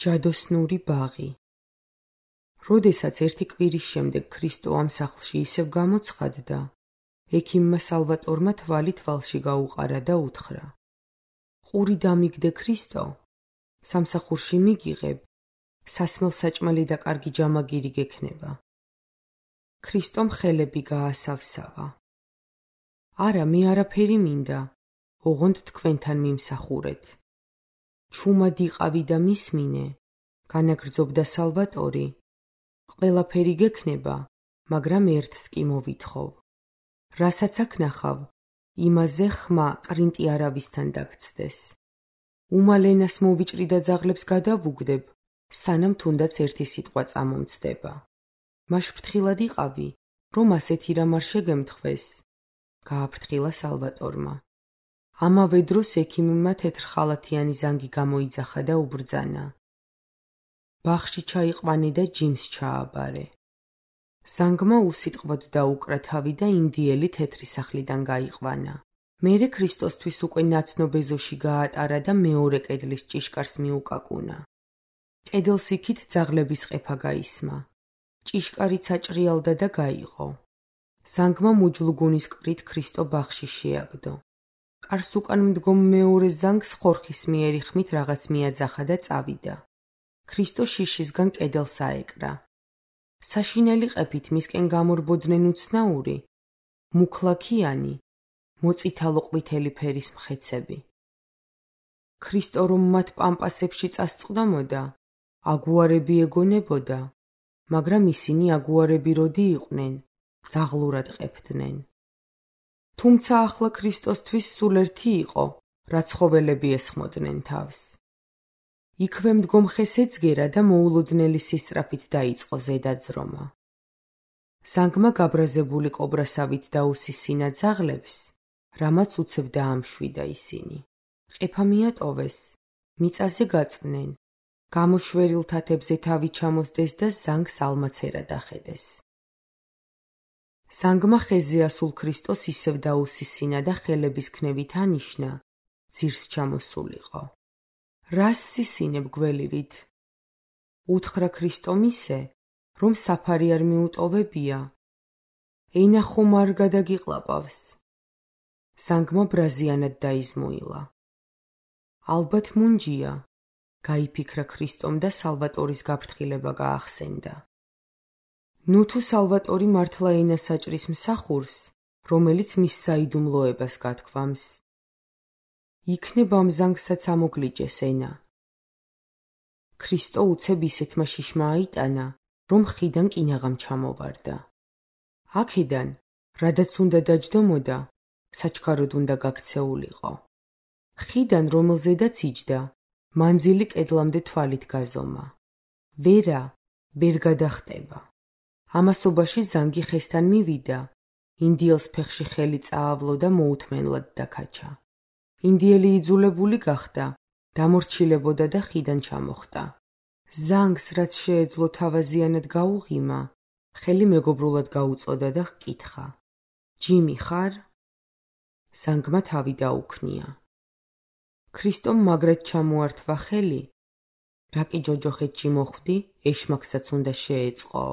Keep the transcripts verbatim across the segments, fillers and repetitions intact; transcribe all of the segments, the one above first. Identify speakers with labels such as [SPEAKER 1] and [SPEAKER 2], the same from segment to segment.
[SPEAKER 1] ჯადოსნური ბაღი. როდესაც ერთი კვირის შემდეგ ქრისტო ამ სახლში ისევ გამოცხადდა, ექიმმა სალვატორმა თვალი თვალში გაუყარა და უთხრა: ყური დამიგდე ქრისტო, სამსახურში მიგიღებ, სასმელ-საჭმელი და კარგი ჯამაგირი გექნება. ქრისტომ ხელები გაასავსავა. არა, მე არაფერი მინდა, ოღონდ თქვენთან მიმსახურეთ. ჩუმად იყავი და მისმინე, განაგრძობდა სალვატორი. ყველაფერი გექნება, მაგრამ ერთს კი მოვითხოვ. რასაც აქ ნახავ, იმაზე ხმა კრინტი არავისთან დაგცდეს. უმალენას მოვიჭრი და ძაღლებს გადავუგდებ, სანამ თუნდაც ერთი სიტყვა წამომცდება. მაშ ფრთხილად იყავი, რომ ასეთი რამ არ შეგემთხვეს, გააფრთხილა სალვატორმა. ამავე დროს ექიმმა თეთრხალათიანი ზანგი გამოიძახა და უბრძანა: ბაღში ჩაიყვანე და ჯიმს ჩააბარე. ზანგმა უსიტყვოდ დაუკრა თავი და ინდიელი თეთრი სახლიდან გაიყვანა. მერე ქრისტოსთვის უკვე ნაცნობ ეზოში გაატარა და მეორე კედლის ჭიშკარს მიუკაკუნა. კედელს იქით ძაღლების ყეფა გაისმა. ჭიშკარიც აჭრიალდა და გაიღო. ზანგმა მუჯლუგუნის კვრით ქრისტო ბაღში შეაგდო. კარს უკან მდგომ მეორე ზანგს ხორხისმიერი ხმით რაღაც მიაძახა და წავიდა. ქრისტო შიშისგან კედელს აეკრა. საშინელი ყეფით მისკენ გამორბოდნენ უცნაური, მუქლაქიანი, მოწითალო ყვითელი ფერის მხეცები. ქრისტო რომ მათ პამპასებში წასწყდომოდა, აგუარები ეგონებოდა, მაგრამ ისინი აგუარები როდი იყვნენ, ძაღლურად ყეფდნენ. თუმცა ახლა ქრისტოსთვის სულ ერთი იყო, რა ცხოველები ესხმოდნენ თავს. იქვე მდგომ ხეს ეძგერა და მოულოდნელი სისწრაფით დაიწყო ზედაძრომა. ზანგმა გაბრაზებული კობრასავით დაუსისინა ძაღლებს, რამაც უცებ დაამშვიდა ისინი. ყეფა მიატოვეს, მიწაზე გაწვნენ, გამოშვერილ თათებზე თავი ჩამოსდეს და ზანგს ალმაცერა დახედეს. ზანგმა ხეზე ასულ ქრისტოს ისევ დაუსისინა და ხელების ქნევით ანიშნა, ძირს ჩამოსულიყო. რას სისინებ გველივით? უთხრა ქრისტომ ისე, რომ საფარი არ მიუტოვებია. ენა ხომ არ გადაგიყლაპავს. ზანგმა ბრაზიანად დაიზმოილა. ალბათ მუნჯია, გაიფიქრა ქრისტომ და სალვატორის გაფრთხილება გაახსენდა. ნუ თუ სალვატორი მართლა ენას აჭრის მსახურს, რომელიც მის საიდუმლოებას გათქვამს. იქნება ამ ზანგსაც ამოგლიჯეს ენა. ქრისტო უცებ ისეთმა შიშმა აიტანა, რომ ხიდან კინაღამ ჩამოვარდა. აქედან, რადაც უნდა დაჯდომოდა, საჩქაროდ უნდა გაქცეულიყო. ხიდან, რომელზედაც იჯდა, მანძილი კედლამდე თვალით გაზომა. ვერა, ვერ გადახტება. ამასობაში ზანგი ხესთან მივიდა, ინდიელს ფეხში ხელი წაავლო და მოუთმენლად დაკაჩა. ინდიელი იძულებული გახდა, დამორჩილებოდა და ხიდან ჩამოხტა. ზანგს, რაც შეეძლო თავაზიანად გაუღიმა, ხელი მეგობრულად გაუწოდა და ჰკითხა: ჯიმი ხარ? ზანგმა თავი დაუქნია. ქრისტომ მაგრად ჩამოართვა ხელი, რა კი ჯოჯოხეთში მოხვდი, ეშმაკსაც უნდა შეეწყო.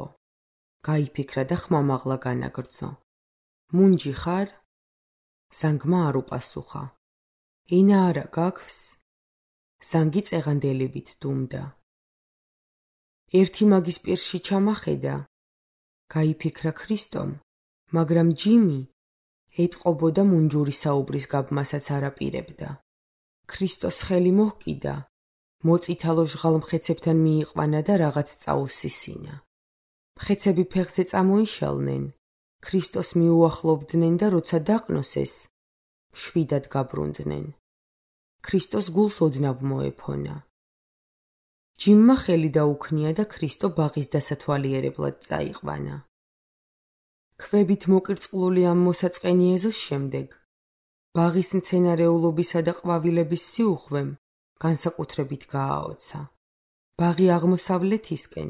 [SPEAKER 1] გაიფიქრა და ხმამაღლა განაგრძო. მუნჯი ხარ? ზანგმა არ უპასუხა. ენა არა გაქვს? ზანგი წეღანდელივით დუმდა. ერთი მაგის პირში ჩამახედა. გაიფიქრა ქრისტომ, მაგრამ ჯიმი ეტყობოდა მუნჯური საუბრის გაბმასაც არ აპირებდა. ქრისტოს ხელი მოჰკიდა, მოწითალო ჟღალ-მხეცებთან მიიყვანა და რაღაც წაუსისინა. მხეცები ფეხზე წამოიშალნენ, ქრისტოს მიუახლოვდნენ და როცა დაყნოსეს, მშვიდად გაბრუნდნენ. ქრისტოს გულს ოდნავ მოეფონა. ჯიმმა ხელი დაუქნია და ქრისტო ბაღის დასათვალიერებლად წაიყვანა. ქვებით მოკირწყლული ამ მოსაწყენი ეზოს შემდეგ, ბაღის მცენარეულობისა და ყვავილების სიუხვემ განსაკუთრებით გააოცა. ბაღი აღმოსავლეთისკენ,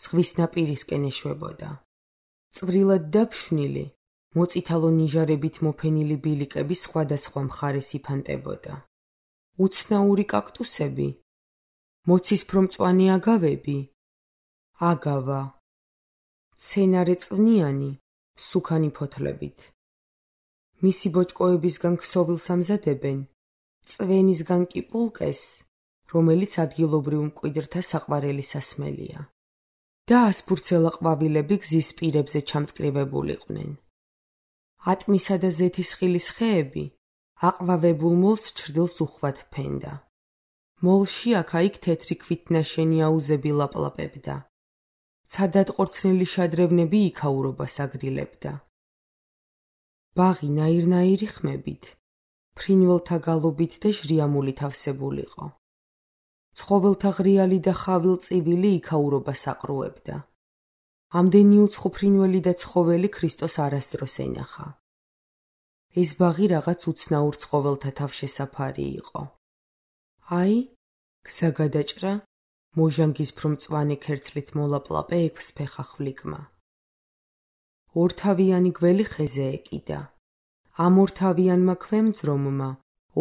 [SPEAKER 1] ზღვის ნაპირისკენ ეშვებოდა. წვრილად დაფშვნილი, მოწითალო ნიჟარებით მოფენილი ბილიკები სხვადასხვა მხარეს იფანტებოდა. უცნაური კაქტუსები, მოცისფრო-მწვანე აგავები? აგავა. მცენარე წვნიანი, სუქანი ფოთლებით. მისი ბოჭკოებისგან ქსოვილს ამზადებენ, წვენისგან კი პულკეს, რომელიც ადგილობრივ მკვიდრთა საყვარელი სასმელია. და ასფურცელა ყვავილები გზის პირებზე ჩამწკრივებულიყვნენ. ატმისა და ზეთის ხილის ხეები აყვავებულ მოლს ჩრდილს უხვად ფენდა. მოლში აქა-იქ თეთრი ქვით ნაშენი აუზები ლაპლაპებდა. ცადად ყორცნილი შადრევნები იქაურობას აგრილებდა. ბაღი ნაირ-ნაირი ხმებით, ფრინველთა გალობით და ჟრიამულით ავსებულიყო. ცხოველთა ღრიალი და ხავილ-წივილი იქაურობას აყრუებდა. ამდენი უცხო ფრინველი და ცხოველი ქრისტოს არასდროს ენახა. ეს ბაღი რაღაც უცნაურ ცხოველთა თავშესაფარი იყო. აი, გზა გადაჭრა, მოჟანგისფრო-მწვანე ქერცლით მოლაპლაპე ექვსფეხა ხვლიკმა. ორთავიანი გველი ხეზე ეკიდა. ამ ორთავიანმა ქვემძრომმა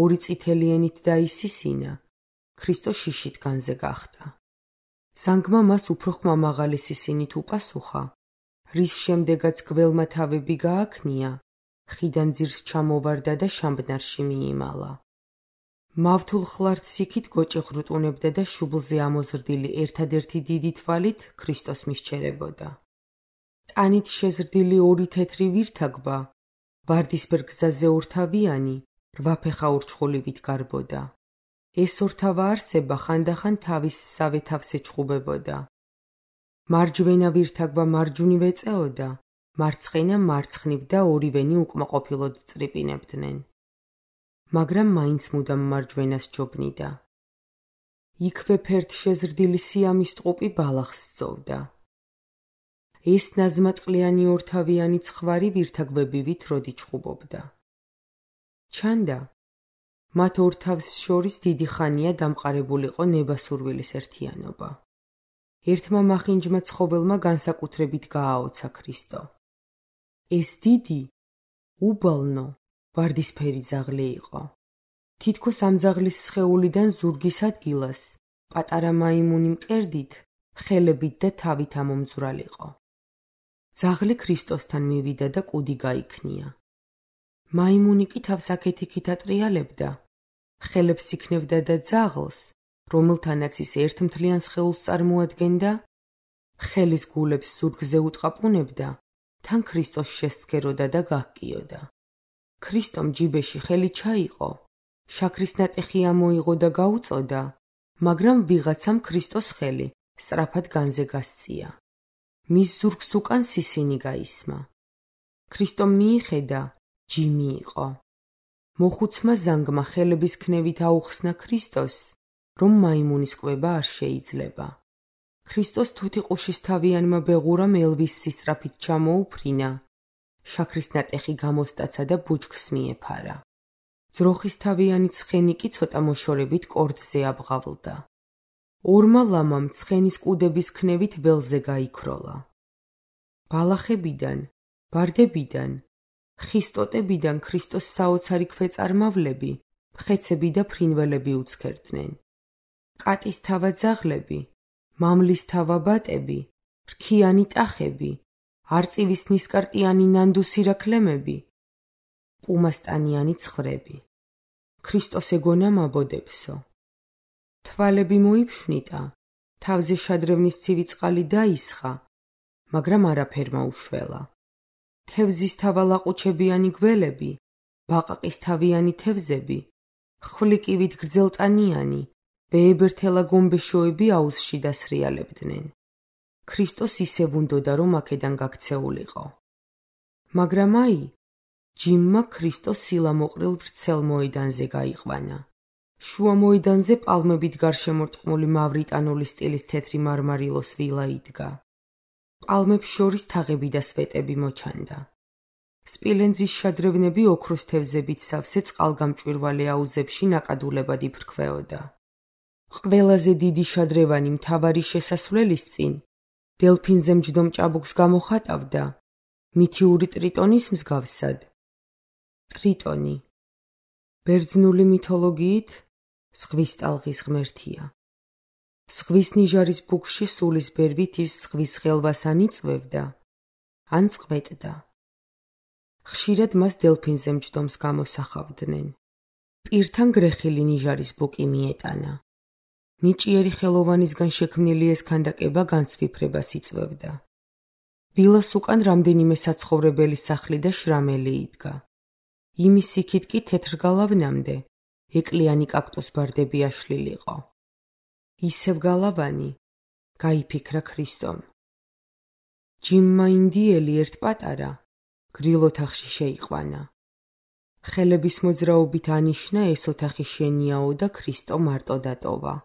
[SPEAKER 1] ორი წითელი ენით დაისისინა, ქრისტო შიშით განზე გახდა. ზანგმა მას უფრო ხმამაღალი სისინით უპასუხა, რის შემდეგაც გველმა თავები გააქნია, ხიდან ძირს ჩამოვარდა და შამბნარში მიიმალა. მავთულ ხლართ იქით გოჭი ღრუტუნებდა და შუბლზე ამოზრდილი ერთადერთი დიდი თვალით ქრისტოს მისჩერებოდა. ტანით შეზრდილი ორი თეთრი ვირთაგბა, ვარდისფერ გზაზე ორთავიანი, რვაფეხა ურჩხულივით გარბოდა. ეს ორთავა არსება ხანდახან თავის სავე თავს ეჩხუბებოდა. მარჯვენა ვირთაგბა მარჯვნივ ეწეოდა, მარცხენა მარცხნივ და ორივენი უკმაყოფილოდ წრიპინებდნენ. მაგრამ მაინც მუდამ მარჯვენას ჯობნიდა. იქვე ფერთ შეზრდილი სიამის ტყუპი ბალახს სწოვდა. ეს ნაზმატყლიანი ორთავიანი ცხვარი ვირთაგბები ვითროდი ჩხუბობდა. ჩანდა, მათ ორ თავს შორის დიდი ხანია დამყარებულიყო ნებასურვილის ერთიანობა. ერთმა მახინჯმა ცხოველმა განსაკუთრებით გააოცა ქრისტო. ეს დიდი, უბალნო, ვარდისფერი ძაღლი იყო. თითქოს ამ ძაღლის სხეულიდან ზურგის ადგილას, პატარა მაიმუნი მკერდით, ხელებით და თავით ამომძვრალიყო. ძაღლი ქრისტოსთან მივიდა და კუდი გაიქნია. მაიმუნი კი თავს აქეთ-იქით ატრიალებდა, ხელებს იქნევდა და ძაღლს, რომელთანაც ის ერთმთლიან სხეულს წარმოადგენდა, ხელის გულებს ზურგზე უტყაპუნებდა, თან ქრისტოს შესცქეროდა და გահკიოდა. ქრისტომ ჯიბეში ხელი ჩაიყო, შაქრის ნატეხი ამოიღო და გაუწოდა, მაგრამ ვიღაცამ ქრისტოს ხელი სწრაფად განზე გასწია. მის ზურგს უკან სისინი გაისმა. ქრისტომ მიიხედა, ჯიმი იყო. მოხუცმა ზანგმა ხელების ქნევით აუხსნა ქრისტოს, რომ მაიმუნის კვება არ შეიძლება. ქრისტოს თუთიყუშის თავიანმა ბეღურამ ელვის სისწრაფით ჩამოუფრინა, შაქრის ნატეხი გამოსტაცა და ბუჩქს მიეფარა. ძროხის თავიანი ცხენი კი ცოტა მოშორებით კორდზე აბღავლდა. ორმა ლამამ ცხენის კუდების ქნევით ველზე გაიქროლა. ბალახებიდან, ბარდებიდან, ხის ტოტებიდან ქრისტოს საოცარი ქვეწარმავლები, მხეცები და ფრინველები უცქერდნენ. კატის თავა ძაღლები, მამლის თავა ბატები, რქიანი ტახები, არწივის ნისკარტიანი ნანდუსირაქლემები, პუმასტანიანი ცხვრები. ქრისტოს ეგონა მაბოდებსო. თვალები მოიფშვნიტა, თავზე შადრევნის ცივი წყალი დაისხა, მაგრამ არაფერ მოუშველა. თევზის თავა ლაყუჩებიანი გველები, ბაყაყის თავიანი თევზები, ხვლიკივით გრძელტანიანი, ვეებერთელა გომბეშოები აუზში დასრიალებდნენ. ქრისტოს ისევ უნდოდა, რომ აქედან გაქცეულიყო. მაგრამ აი, ჯიმმა ქრისტოს სილამოყრილ ვრცელ მოედანზე გაიყვანა. შუა მოედანზე პალმებით გარშემორტყმული მავრიტანული სტილის თეთრი მარმარილოს ვილა იდგა. პალმებს შორის თაღები და სვეტები მოჩანდა. სპილენძის შადრევნები ოქროს თევზებით სავსე წყალგამჭვირვალე აუზებში ნაკადულებად იფრქვეოდა. ყველაზე დიდი შადრევანი მთავარი შესასვლელის წინ, დელფინზე მჯდომ ჭაბუკს გამოხატავდა, მითიური ტრიტონის მსგავსად. ტრიტონი, ბერძნული მითოლოგიით, ზღვის ტალღის ღმერთია. ზღვის ნიჟარის ბუქში სულის ბერვით ის ზღვის ხელვას ან იწვევდა, ან წყვეტდა. ხშირად მას დელფინზე მჯდომს გამოსახავდნენ. პირთან გრეხილი ნიჟარის ბუკი მიეტანა. ნიჭიერი ხელოვანისგან შექმნილი ეს ქანდაკება განცვიფრებას იწვევდა. ვილას უკან რამდენიმე საცხოვრებელი სახლი და შრამელი იდგა. იმის იქით კი თეთრგალავნამდე ეკლიანი კაქტუსბარდები აშლილიყო. ისევ გალავანი, გაიფიქრა ქრისტომ. ჯიმმა ინდიელი ერთ პატარა, გრილ ოთახში შეიყვანა. ხელების მოძრაობით ანიშნა ეს ოთახი შენიაო და ქრისტო მარტო დატოვა.